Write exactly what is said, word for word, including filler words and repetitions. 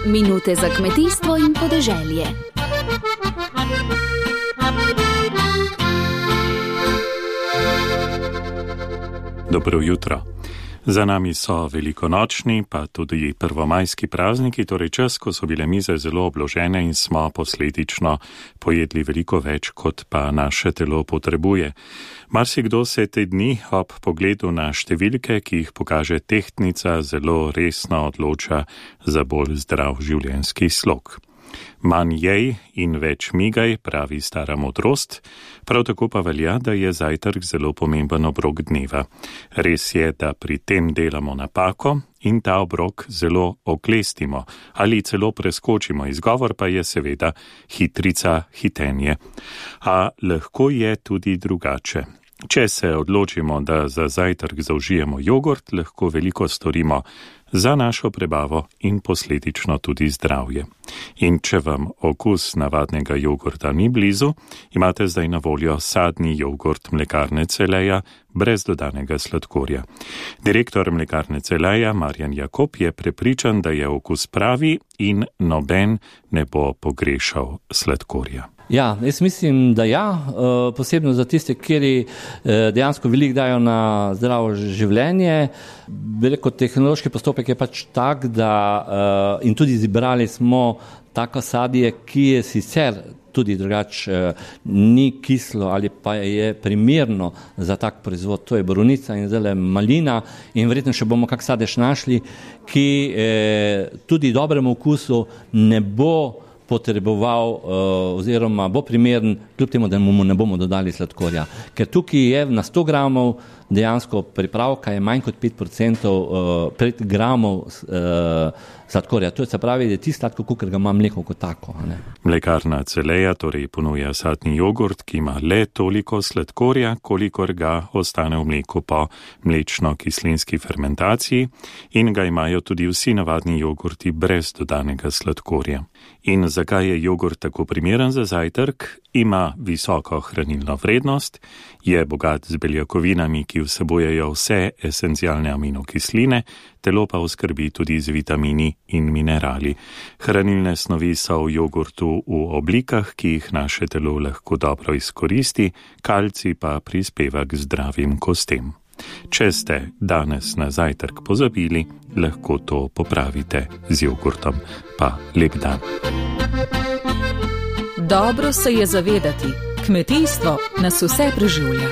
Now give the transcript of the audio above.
Minute za kmetijstvo in podeželje. Dobro jutro. Za nami so velikonočni, pa tudi prvomajski prazniki, torej čas, ko so bile mize zelo obložene in smo posledično pojedli veliko več, kot pa naše telo potrebuje. Marsikdo se te dni ob pogledu na številke, ki jih pokaže tehtnica, zelo resno odloča za bolj zdrav življenjski slog. Manj jej in več migaj, pravi stara modrost, prav tako pa velja, da je zajtrk zelo pomemben obrok dneva. Res je, da pri tem delamo napako in ta obrok zelo oklestimo ali celo preskočimo. Izgovor pa je seveda hitrica, hitenje. A lahko je tudi drugače. Če se odločimo, da za zajtrk zaužijemo jogurt, lahko veliko storimo za našo prebavo in posledično tudi zdravje. In če vam okus navadnega jogurta ni blizu, imate zdaj na voljo sadni jogurt mlekarne Celeja brez dodanega sladkorja. Direktor mlekarne Celeja Marjan Jakob je prepričan, da je okus pravi in noben ne bo pogrešal sladkorja. Ja, jaz mislim, da ja, posebno za tiste, kjer dejansko veliko dajo na zdravo življenje. Veliko tehnološki postopek je pač tak, da in tudi izbrali smo tako sadje, ki je sicer tudi drugače ni kislo ali pa je primerno za tak proizvod. To je borovnica in zdaj malina in verjetno še bomo kak sadež našli, ki tudi dobremu okusu ne bo potreboval uh, oziroma bo primeren, kljub temu, da mu ne bomo dodali sladkorja. Ker tukaj je na sto gramov dejansko pripravka je manj kot pet procentov uh, pet gramov uh, sladkorja. To je se pravi, da je ti sladko, kakor ga ima mleko kot tako. Ne? Mlekarna Celeja torej ponuja sadni jogurt, ki ima le toliko sladkorja, kolikor ga ostane v mleku po mlečno-kislinski fermentaciji in ga imajo tudi vsi navadni jogurti brez dodanega sladkorja. In zakaj je jogurt tako primeren za zajtrk? Ima visoko hranilno vrednost, je bogat z beljakovinami, ki vsebujejo vse esencialne aminokisline, telo pa oskrbi tudi z vitamini in minerali. Hranilne snovi so v jogurtu v oblikah, ki jih naše telo lahko dobro izkoristi, kalcij pa prispeva k zdravim kostem. Če ste danes na zajtrk pozabili, lahko to popravite z jogurtom. Pa lep dan. Dobro se je zavedati, kmetijstvo nas vse preživlja.